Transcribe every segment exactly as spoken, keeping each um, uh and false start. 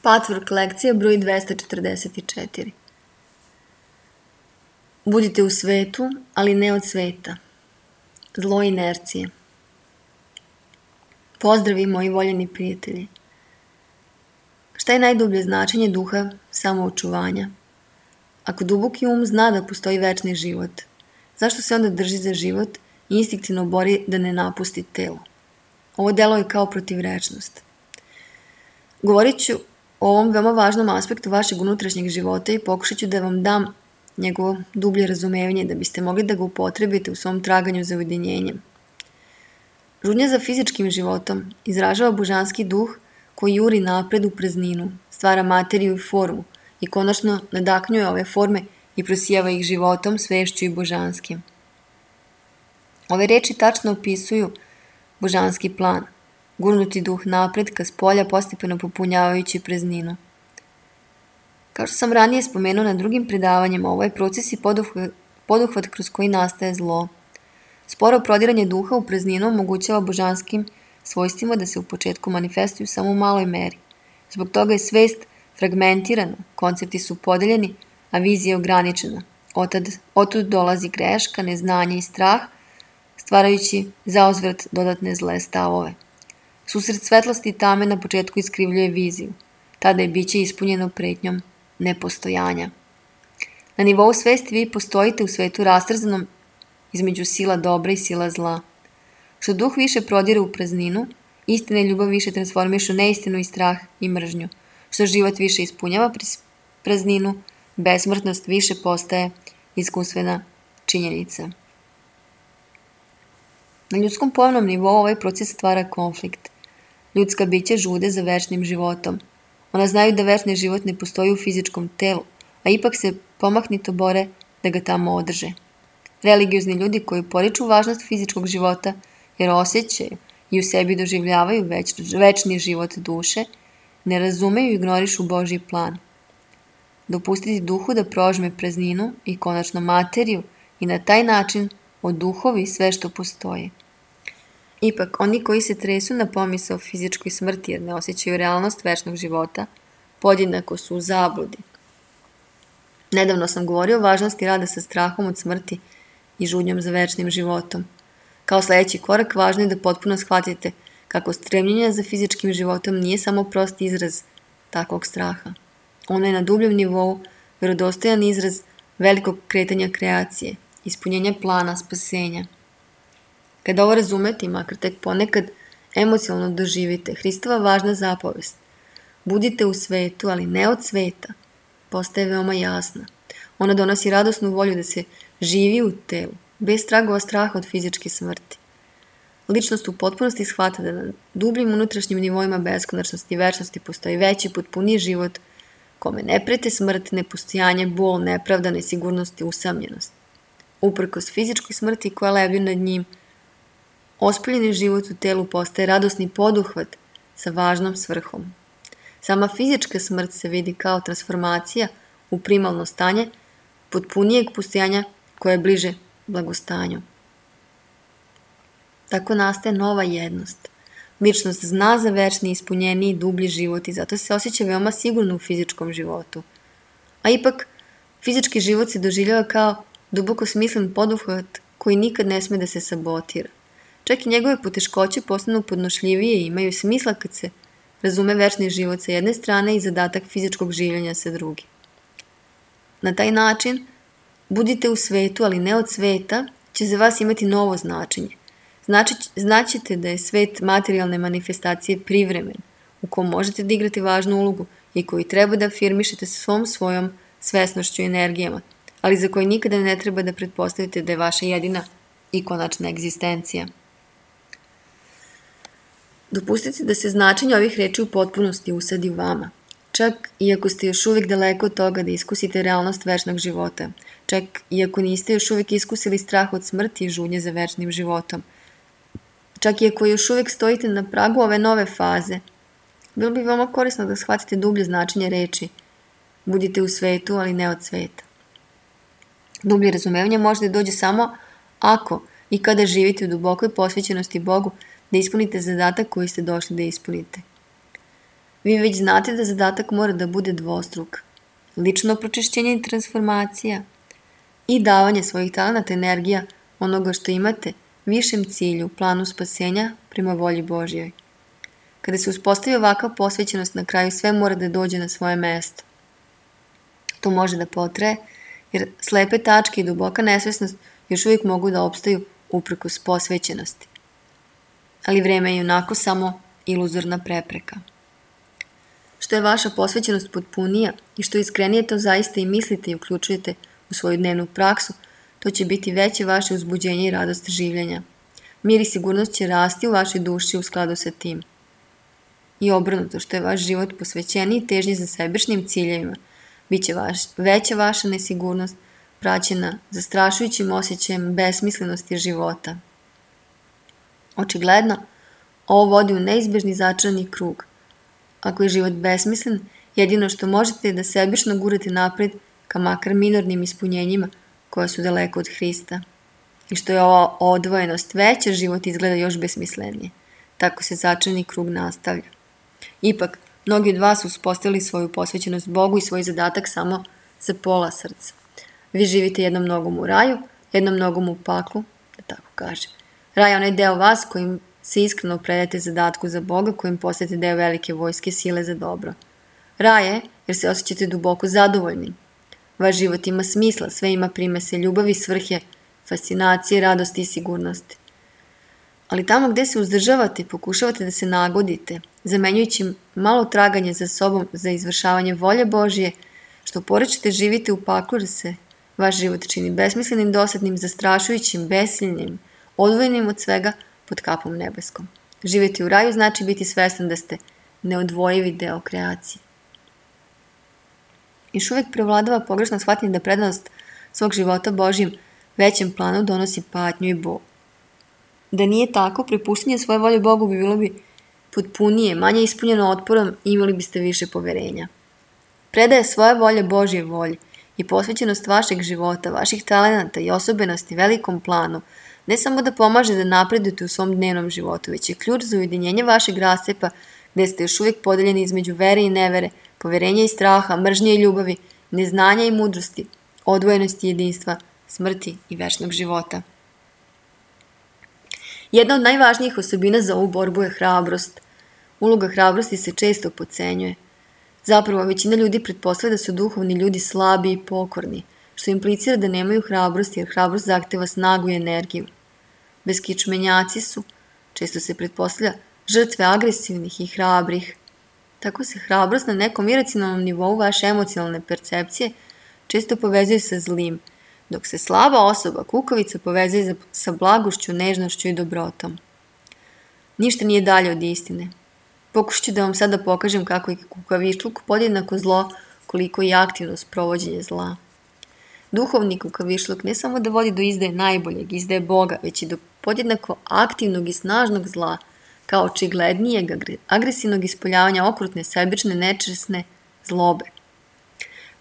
Patchwork lekcija broj dvesta četrdeset četiri. Budite u svetu, ali ne od sveta. Zlo inercije. Pozdravi moji voljeni prijatelji. Šta je najdublje značenje duha samoočuvanja? Ako duboki um zna da postoji večni život, zašto se onda drži za život i instinktivno bori da ne napusti telo? Ovo delo je kao protivrečnost. Govorit ću o ovom veoma važnom aspektu vašeg unutrašnjeg života i pokušat ću da vam dam njegovo dublje razumevanje da biste mogli da ga upotrebite u svom traganju za ujedinjenjem. Žudnja za fizičkim životom izražava božanski duh koji juri napred u prazninu, stvara materiju i formu i konačno nadaknjuje ove forme i prosijava ih životom, svešću i božanskim. Ove reči tačno opisuju božanski plan, gurnuti duh napred ka spolja postepeno popunjavajući prazninu. Kao što sam ranije spomenuo na drugim predavanjima, ovo je proces i poduhvat, poduhvat kroz koji nastaje zlo. Sporo prodiranje duha u prazninu omogućava božanskim svojstvima da se u početku manifestuju samo u maloj meri. Zbog toga je svest fragmentirana, koncepti su podeljeni, a vizija je ograničena. Otad, otud dolazi greška, neznanje i strah, stvarajući zauzvrat dodatne zle stavove. Susret svetlosti i tame na početku iskrivljuje viziju. Tada je biće ispunjeno pretnjom nepostojanja. Na nivou svesti vi postojite u svetu rastrzanom između sila dobra i sila zla. Što duh više prodire u prazninu, istina i ljubav više transformišu neistinu i strah i mržnju. Što život više ispunjava prazninu, besmrtnost više postaje iskustvena činjenica. Na ljudskom pojavnom nivou ovaj proces stvara konflikt. Ljudska bića žude za večnim životom. Ona znaju da večni život ne postoji u fizičkom telu, a ipak se pomahnito bore da ga tamo održe. Religiozni ljudi koji poriču važnost fizičkog života jer osjećaju i u sebi doživljavaju več, večni život duše, ne razumeju i ignorišu Božji plan. Dopustiti duhu da prožme prazninu i konačno materiju i na taj način oduhovi sve što postoji. Ipak, oni koji se tresu na pomisao o fizičkoj smrti jer ne osjećaju realnost večnog života, podjednako su u zabludi. Nedavno sam govorio o važnosti rada sa strahom od smrti i žudnjom za večnim životom. Kao sljedeći korak, važno je da potpuno shvatite kako stremljenje za fizičkim životom nije samo prost izraz takvog straha. Ono je na dubljem nivou vjerodostojan izraz velikog kretanja kreacije, ispunjenja plana spasenja. Kada ovo razumete i makar tek ponekad emocionalno doživite, Hristova važna zapovest, budite u svetu, ali ne od sveta, postaje veoma jasna. Ona donosi radosnu volju da se živi u telu, bez tragova straha od fizičke smrti. Ličnost u potpunosti shvata da na dubljim unutrašnjim nivoima beskonačnosti i večnosti postoji veći, potpuniji život, kome ne prete smrt, nepostojanje, bol, nepravda, nesigurnost i usamljenost. Uprkos fizičkoj smrti koja lebdi nad njim, ospoljeni život u telu postaje radosni poduhvat sa važnom svrhom. Sama fizička smrt se vidi kao transformacija u primalno stanje potpunijeg postojanja koje je bliže blagostanju. Tako nastaje nova jednost. Ličnost zna za večni, ispunjeniji, dublji život i zato se osjeća veoma sigurno u fizičkom životu. A ipak, fizički život se doživljava kao duboko smislen poduhvat koji nikad ne sme da se sabotira. Čak i njegove poteškoće postanu podnošljivije i imaju smisla kad se razume večni život sa jedne strane i zadatak fizičkog življenja sa druge. Na taj način, budite u svetu, ali ne od sveta, će za vas imati novo značenje. Znači, znaćete da je svet materijalne manifestacije privremen, u kom možete da igrate važnu ulogu i koji treba da afirmišete svom svojom svesnošću i energijama, ali za koji nikada ne treba da pretpostavite da je vaša jedina i konačna egzistencija. Dopustite da se značenje ovih reči u potpunosti usadi u vama, čak i ako ste još uvijek daleko od toga da iskusite realnost večnog života, čak i ako niste još uvijek iskusili strah od smrti i žudnje za večnim životom, čak i ako još uvijek stojite na pragu ove nove faze, bilo bi veoma korisno da shvatite dublje značenje reči budite u svetu, ali ne od sveta. Dublje razumevanje može da dođe samo ako i kada živite u dubokoj posvećenosti Bogu da ispunite zadatak koji ste došli da ispunite. Vi već znate da zadatak mora da bude dvostruk. Lično pročišćenje i transformacija i davanje svojih talenata, energija, onoga što imate, višem cilju, planu spasenja prema volji Božjoj. Kada se uspostavi ovakva posvećenost, na kraju sve mora da dođe na svoje mesto. To može da potraje, jer slepe tačke i duboka nesvesnost još uvijek mogu da opstaju uprkos posvećenosti. Ali vreme je onako samo iluzorna prepreka. Što je vaša posvećenost potpunija i što iskrenije to zaista i mislite i uključujete u svoju dnevnu praksu, to će biti veće vaše uzbuđenje i radost življenja. Mir i sigurnost će rasti u vašoj duši u skladu sa tim. I obrnuto, što je vaš život posvećeniji težnji za sebičnim ciljevima, bit će vaš, veća vaša nesigurnost, praćena zastrašujućim osjećajem besmislenosti života. Očigledno, ovo vodi u neizbežni začarani krug. Ako je život besmislen, jedino što možete je da sebično gurate napred ka makar minornim ispunjenjima koja su daleko od Hrista. I što je ova odvojenost veća, život izgleda još besmislenije. Tako se začarani krug nastavlja. Ipak, mnogi od vas su uspostavili svoju posvećenost Bogu i svoj zadatak samo za pola srca. Vi živite jednom nogom u raju, jednom nogom u paklu, da tako kažem. Raj je onaj deo vas kojim se iskreno predate zadatku za Boga, kojim postajete deo velike vojske sile za dobro. Raj je jer se osjećate duboko zadovoljni. Vaš život ima smisla, sve ima primese ljubavi, svrhe, fascinacije, radosti i sigurnosti. Ali tamo gde se uzdržavate, pokušavate da se nagodite, zamenjujući malo traganje za sobom za izvršavanje volje Božje, što porečete živite u paklu jer se vaš život čini besmislenim, dosadnim, zastrašujućim, besilnim, odvojenim od svega pod kapom nebeskom. Živjeti u raju znači biti svestan da ste neodvojivi deo kreacije. Još uvijek prevladava pogrešno shvatanje da prednost svog života Božjem većem planu donosi patnju i bol. Da nije tako, prepuštanje svoje volje Bogu bi bilo bi potpunije, manje ispunjeno otporom i imali biste više poverenja. Predaje svoje volje Božje volji i posvećenost vašeg života, vaših talenata i osobenosti velikom planu ne samo da pomaže da napredujete u svom dnevnom životu, već je ključ za ujedinjenje vašeg rascepa gde ste još uvijek podeljeni između vere i nevere, poverenja i straha, mržnje i ljubavi, neznanja i mudrosti, odvojenosti i jedinstva, smrti i večnog života. Jedna od najvažnijih osobina za ovu borbu je hrabrost. Uloga hrabrosti se često podcenjuje. Zapravo, većina ljudi pretpostavlja da su duhovni ljudi slabi i pokorni, što implicira da nemaju hrabrosti, jer hrabrost zahteva snagu i energiju. Beskičmenjaci su, često se pretpostavlja, žrtve agresivnih i hrabrih. Tako se hrabrost na nekom iracionalnom nivou vaše emocionalne percepcije često povezuje sa zlim, dok se slaba osoba, kukavica, povezuje sa blagošću, nežnošću i dobrotom. Ništa nije dalje od istine. Pokušat ću da vam sada pokažem kako je kukavičluk podjednako zlo koliko i aktivno sprovođenje zla. Duhovni kukavičluk ne samo da vodi do izdaje najboljeg, izdaje Boga, već i do podjednako aktivnog i snažnog zla, kao očiglednijeg agresivnog ispoljavanja okrutne, sebične, nečesne zlobe.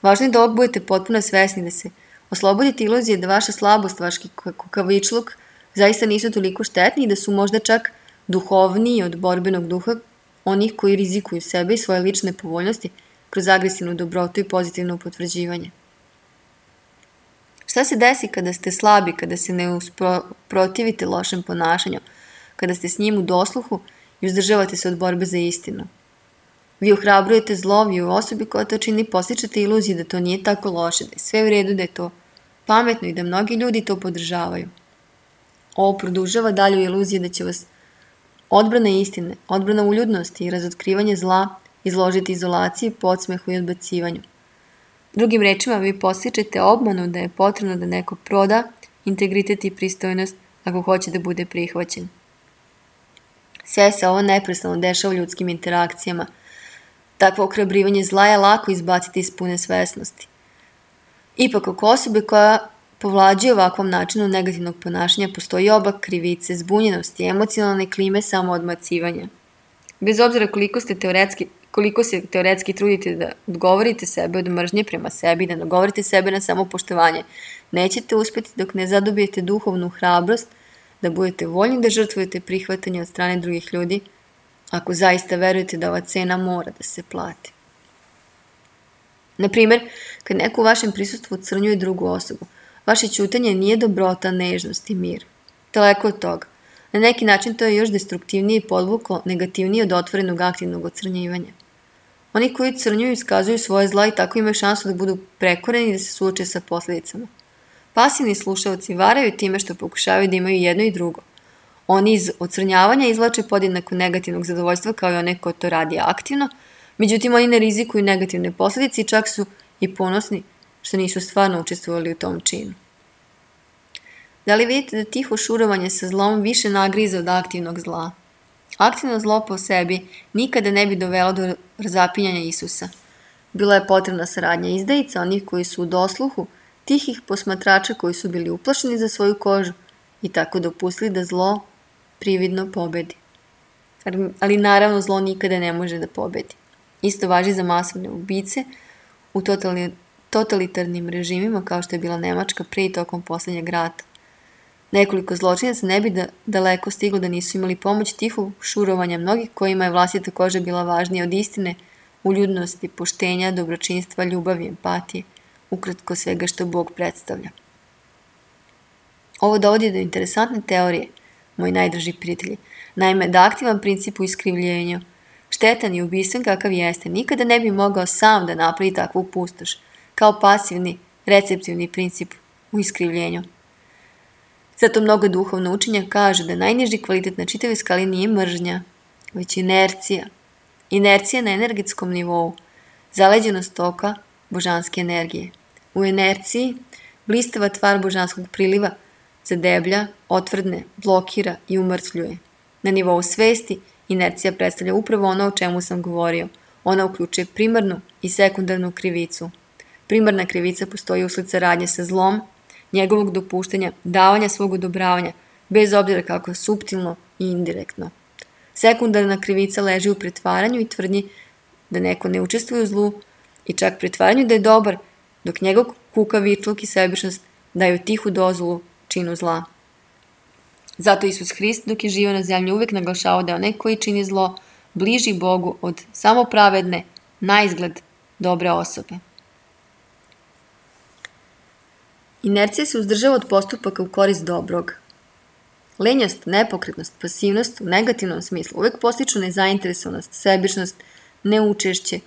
Važno je da ovog budete potpuno svesni da se oslobodite iluzije da vaša slabost, vaš kukavičluk zaista nisu toliko štetni i da su možda čak duhovniji od borbenog duha onih koji rizikuju sebe i svoje lične povoljnosti kroz agresivnu dobrotu i pozitivno potvrđivanje. Šta se desi kada ste slabi, kada se ne usprotivite lošem ponašanju, kada ste s njim u dosluhu i uzdržavate se od borbe za istinu? Vi ohrabrujete zlo, vi u osobi koja to čini postičete iluziju da to nije tako loše, da je sve u redu, da je to pametno i da mnogi ljudi to podržavaju. Ovo produžava dalju iluziju da će vas odbrana istine, odbrana uljudnosti i razotkrivanje zla izložiti izolaciji, podsmehu i odbacivanju. Drugim rečima, vi postičete obmanu da je potrebno da neko proda integritet i pristojnost ako hoće da bude prihvaćen. Sve se ovo neprestano dešava u ljudskim interakcijama. Takvo ohrabrivanje zla je lako izbaciti iz pune svesnosti. Ipak, oko osobe koja povlađuje ovakvom načinu negativnog ponašanja postoji oba krivice, zbunjenosti, emocionalne klime, samoodmacivanja. Bez obzira koliko ste teoretski, koliko se teoretski trudite da odgovorite sebe od mržnje prema sebi, da nagovorite sebe na samopoštovanje, nećete uspjeti dok ne zadobijete duhovnu hrabrost, da budete voljni da žrtvujete prihvatanje od strane drugih ljudi ako zaista verujete da ova cena mora da se plati. Na primjer, kad neko u vašem prisustvu ocrnjuje drugu osobu, vaše ćutanje nije dobrota, nežnost i mir. Daleko od toga. Na neki način to je još destruktivnije i podvuklo negativnije od otvorenog aktivnog ocrnjivanja. Oni koji ocrnjuju iskazuju svoje zla i tako imaju šansu da budu prekoreni i da se suoče sa posljedicama. Pasivni slušalci varaju time što pokušavaju da imaju jedno i drugo. Oni iz ocrnjavanja izvlače podjednako negativnog zadovoljstva kao i one ko to radi aktivno, međutim oni ne rizikuju negativne posljedice i čak su i ponosni što nisu stvarno učestvovali u tom činu. Da li vidite da tiho šurovanje sa zlom više nagriza od aktivnog zla? Aktivno zlo po sebi nikada ne bi dovelo do razapinjanja Isusa. Bila je potrebna saradnja izdajica, onih koji su u dosluhu, tihih posmatrača koji su bili uplašeni za svoju kožu i tako dopustili da zlo prividno pobedi. Ali naravno zlo nikada ne može da pobedi. Isto važi za masovne ubice u totalitarnim režimima kao što je bila Nemačka pre i tokom posljednjeg rata. Nekoliko zločinaca ne bi da, daleko stiglo da nisu imali pomoć tihog šurovanja mnogih kojima je vlastita koža bila važnija od istine, uljudnosti, poštenja, dobročinstva, ljubavi, empatije, ukratko svega što Bog predstavlja. Ovo dovodi do interesantne teorije, moji najdraži prijatelji. Naime, da aktivan princip u iskrivljenju, štetan i ubistven kakav jeste, nikada ne bi mogao sam da napravi takvu pustoš, kao pasivni, receptivni princip u iskrivljenju. Zato mnogo duhovno učenja kaže da najniži kvalitet na čitavoj skali nije mržnja, već inercija. Inercija na energetskom nivou, zaleđenost toka božanske energije. U inerciji blistava tvar božanskog priliva zadeblja, otvrdne, blokira i umrtvljuje. Na nivou svesti inercija predstavlja upravo ono o čemu sam govorio. Ona uključuje primarnu i sekundarnu krivicu. Primarna krivica postoji usled saradnje sa zlom, njegovog dopuštanja, davanja svog odobravanja, bez obzira kako suptilno i indirektno. Sekundarna krivica leži u pretvaranju i tvrdnji da neko ne učestvuje u zlu i čak pretvaranju da je dobar, dok njegov kukavičluk i sebičnost daju tihu dozvolu činu zla. Zato Isus Hrist dok je živio na zemlji uvijek naglašavao da je onaj koji čini zlo bliži Bogu od samopravedne, naizgled dobre osobe. Inercija se uzdržava od postupaka u korist dobrog. Lenjost, nepokretnost, pasivnost u negativnom smislu uvijek postiču nezainteresovanost, sebičnost, neučešće,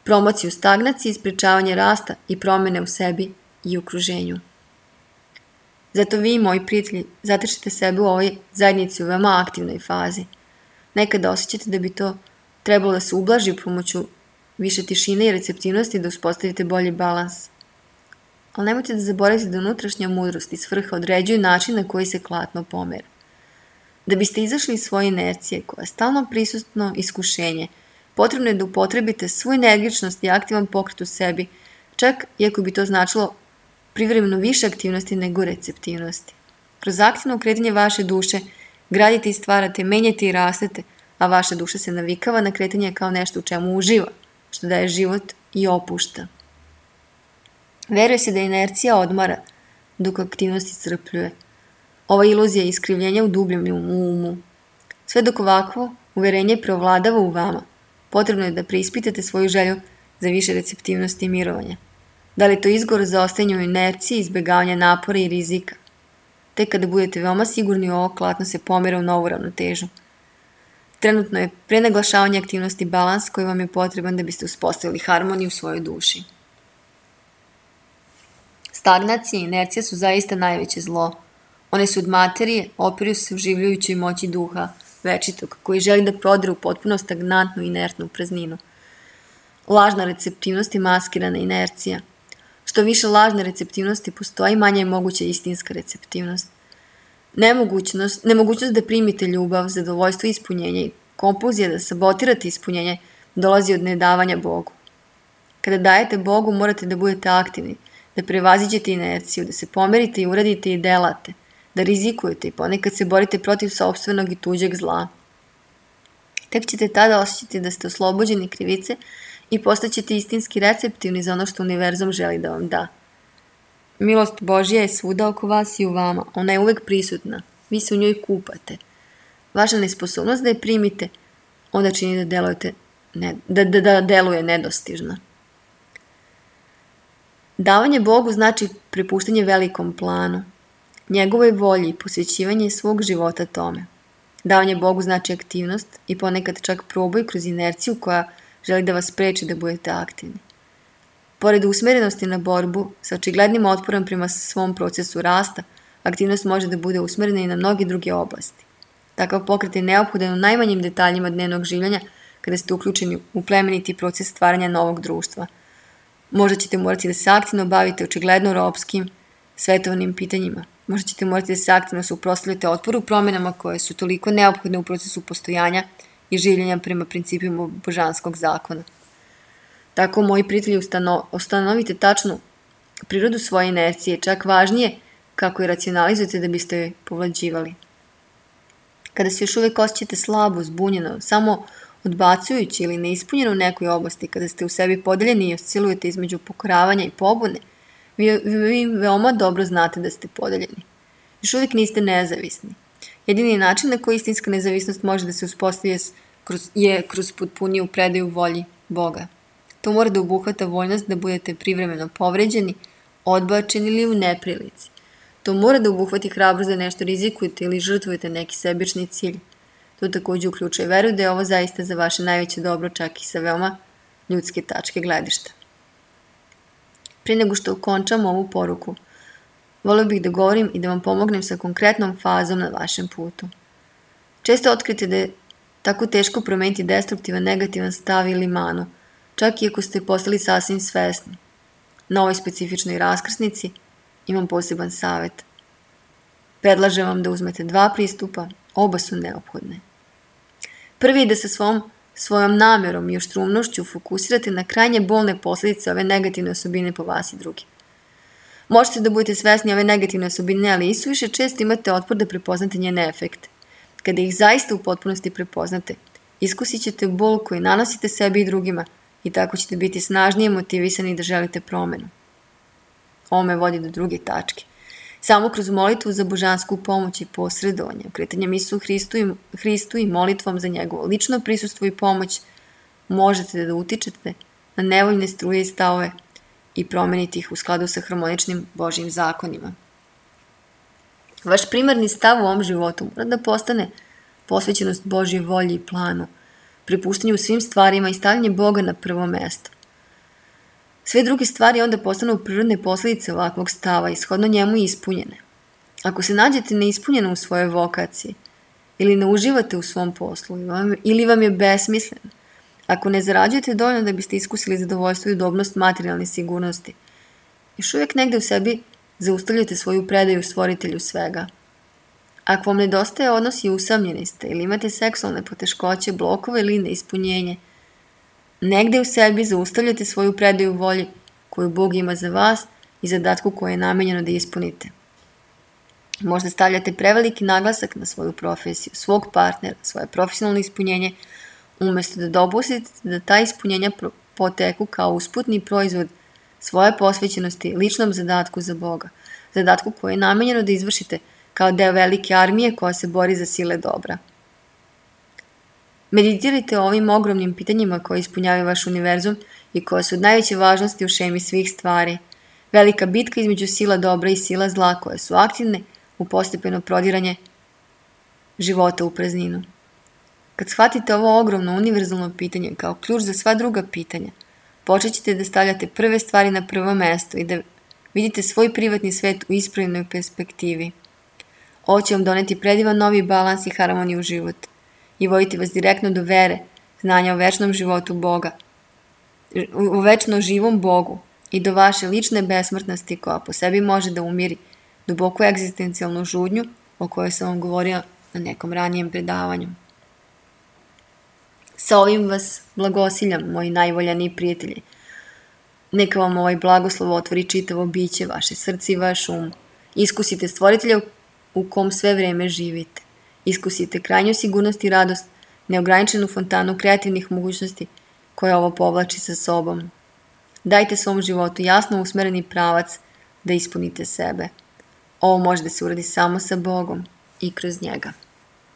promociju stagnacije, ispričavanje rasta i promjene u sebi i okruženju. Zato vi, moji prijatelji, zatrčite sebe u ovoj zajednici u veoma aktivnoj fazi. Nekada osjećate da bi to trebalo da se ublaži pomoću više tišine i receptivnosti da uspostavite bolji balans. Ali nemojte da zaboravite da unutrašnja mudrost i svrha određuju način na koji se klatno pomera. Da biste izašli iz svoje inercije, koja je stalno prisutno iskušenje, potrebno je da upotrebite svu energičnost i aktivan pokret u sebi, čak iako bi to značilo privremeno više aktivnosti nego receptivnosti. Kroz aktivno kretanje vaše duše gradite i stvarate, menjate i rastete, a vaša duša se navikava na kretanje kao nešto u čemu uživa, što daje život i opušta. Veruje se da inercija odmara, dok aktivnost iscrpljuje. Ova iluzija je iskrivljenja u dubljem umu. Sve dok ovakvo uverenje preovladava u vama, potrebno je da preispitate svoju želju za više receptivnosti i mirovanja. Da li je to izgovor za ostajanje u inerciji, izbjegavanja napora i rizika? Tek kada budete veoma sigurni u ovo, klatno se pomera u novu ravnotežu. Trenutno je prenaglašavanje aktivnosti balans koji vam je potreban da biste uspostavili harmoniju u svojoj duši. Stagnacija i inercija su zaista najveće zlo. One su od materije, opiru se uživljujućoj moći duha večitog, koji želi da prodre u potpuno stagnantnu i inertnu prazninu. Lažna receptivnost i maskirana inercija. Što više lažne receptivnosti postoji, manje je moguća istinska receptivnost. Nemogućnost, nemogućnost da primite ljubav, zadovoljstvo i ispunjenje i kompulzija da sabotirate ispunjenje dolazi od nedavanja Bogu. Kada dajete Bogu, morate da budete aktivni, da prevaziđete inerciju, da se pomerite i uradite i delate, da rizikujete i ponekad se borite protiv sopstvenog i tuđeg zla. Tek ćete tada osjećati da ste oslobođeni krivice i postaćete istinski receptivni za ono što univerzum želi da vam da. Milost Božja je svuda oko vas i u vama, ona je uvek prisutna, vi se u njoj kupate. Vaša nesposobnost da je primite onda čini da, delujete, ne, da, da, da deluje nedostižno. Davanje Bogu znači prepuštanje velikom planu, njegovoj volji i posvećivanje svog života tome. Davanje Bogu znači aktivnost i ponekad čak proboj kroz inerciju koja želi da vas spreči da budete aktivni. Pored usmerenosti na borbu, sa očiglednim otporom prema svom procesu rasta, aktivnost može da bude usmerena i na mnoge druge oblasti. Takav pokret je neophodan u najmanjim detaljima dnevnog življenja kada ste uključeni u plemeniti proces stvaranja novog društva. Možda ćete morati da se aktivno bavite očigledno ropskim, svetovnim pitanjima. Možda ćete morati da se aktivno suprotstavljate otporu promjenama koje su toliko neophodne u procesu postojanja i življenja prema principima božanskog zakona. Tako, moji prijatelji, ustano, ustanovite tačnu prirodu svoje inercije, čak važnije kako je racionalizujete da biste je povlađivali. Kada se još uvijek osjećate slabo, zbunjeno, samo odbacujući ili neispunjeno u nekoj oblasti, kada ste u sebi podeljeni i oscilujete između pokoravanja i pobune, vi, vi veoma dobro znate da ste podeljeni. Još uvijek niste nezavisni. Jedini način na koji istinska nezavisnost može da se uspostavi je kroz potpuniju predaju volji Boga. To mora da obuhvata voljnost da budete privremeno povređeni, odbačeni ili u neprilici. To mora da obuhvati hrabrost da nešto rizikujete ili žrtvujete neki sebični cilj. To također uključuje veru da je ovo zaista za vaše najveće dobro, čak i sa veoma ljudske tačke gledišta. Prije nego što okončam ovu poruku, volio bih da govorim i da vam pomognem sa konkretnom fazom na vašem putu. Često otkrite da je tako teško promeniti destruktivan, negativan stav ili manu, čak i ako ste postali sasvim svesni. Na ovoj specifičnoj raskrsnici imam poseban savjet. Predlažem vam da uzmete dva pristupa, oba su neophodne. Prvi je da sa svom, svojom namjerom i oštrumnošću fokusirate na krajnje bolne posljedice ove negativne osobine po vas i drugi. Možete da budete svesni ove negativne osobine, ali isuviše često imate otpor da prepoznate njene efekte. Kada ih zaista u potpunosti prepoznate, iskusit ćete bol koji nanosite sebi i drugima i tako ćete biti snažnije motivisani da želite promenu. Ovo me vodi do druge tačke. Samo kroz molitvu za božansku pomoć i posredovanje, okretanjem Isu Hristu i, Hristu i molitvom za njegovo lično prisustvo i pomoć, možete da utičete na nevoljne struje i stavove i promeniti ih u skladu sa harmoničnim Božjim zakonima. Vaš primarni stav u ovom životu mora da postane posvećenost Božjoj volji i planu, prepuštanju svim stvarima i stavljanje Boga na prvo mesto. Sve druge stvari onda postanu prirodne posljedice ovakvog stava i shodno njemu ispunjene. Ako se nađete neispunjeno u svojoj vokaciji ili ne uživate u svom poslu ili vam je besmislen, ako ne zarađujete dovoljno da biste iskusili zadovoljstvo i udobnost materijalne sigurnosti, još uvijek negde u sebi zaustavljate svoju predaju stvoritelju svega. Ako vam nedostaje odnos i usamljeni ste ili imate seksualne poteškoće, blokove ili neispunjenje, negde u sebi zaustavljate svoju predaju volji koju Bog ima za vas i zadatku koje je namenjeno da ispunite. Možda stavljate preveliki naglasak na svoju profesiju, svog partnera, svoje profesionalno ispunjenje, umjesto da dopustite da ta ispunjenja poteku kao usputni proizvod svoje posvećenosti ličnom zadatku za Boga, zadatku koje je namenjeno da izvršite kao deo velike armije koja se bori za sile dobra. Meditirajte o ovim ogromnim pitanjima koje ispunjavaju vaš univerzum i koje su od najveće važnosti u šemi svih stvari. Velika bitka između sila dobra i sila zla koje su aktivne u postepeno prodiranje života u prazninu. Kad shvatite ovo ogromno univerzalno pitanje kao ključ za sva druga pitanja, počet ćete da stavljate prve stvari na prvo mesto i da vidite svoj privatni svet u ispravnoj perspektivi. Ovo će vam doneti predivan novi balans i harmoniju u život i voditi vas direktno do vere, znanja o večnom životu Boga, o večno živom Bogu i do vaše lične besmrtnosti koja po sebi može da umiri duboku egzistencijalnu žudnju o kojoj sam vam govorio na nekom ranijem predavanju. Sa ovim vas blagosiljam, moji najvoljaniji prijatelji. Neka vam ovaj blagoslov otvori čitavo biće, vaše srce i vaš um. Iskusite stvoritelja u kom sve vreme živite. Iskusite krajnju sigurnost i radost, neograničenu fontanu kreativnih mogućnosti koja ovo povlači sa sobom. Dajte svom životu jasno usmereni pravac da ispunite sebe. Ovo može da se uradi samo sa Bogom i kroz njega.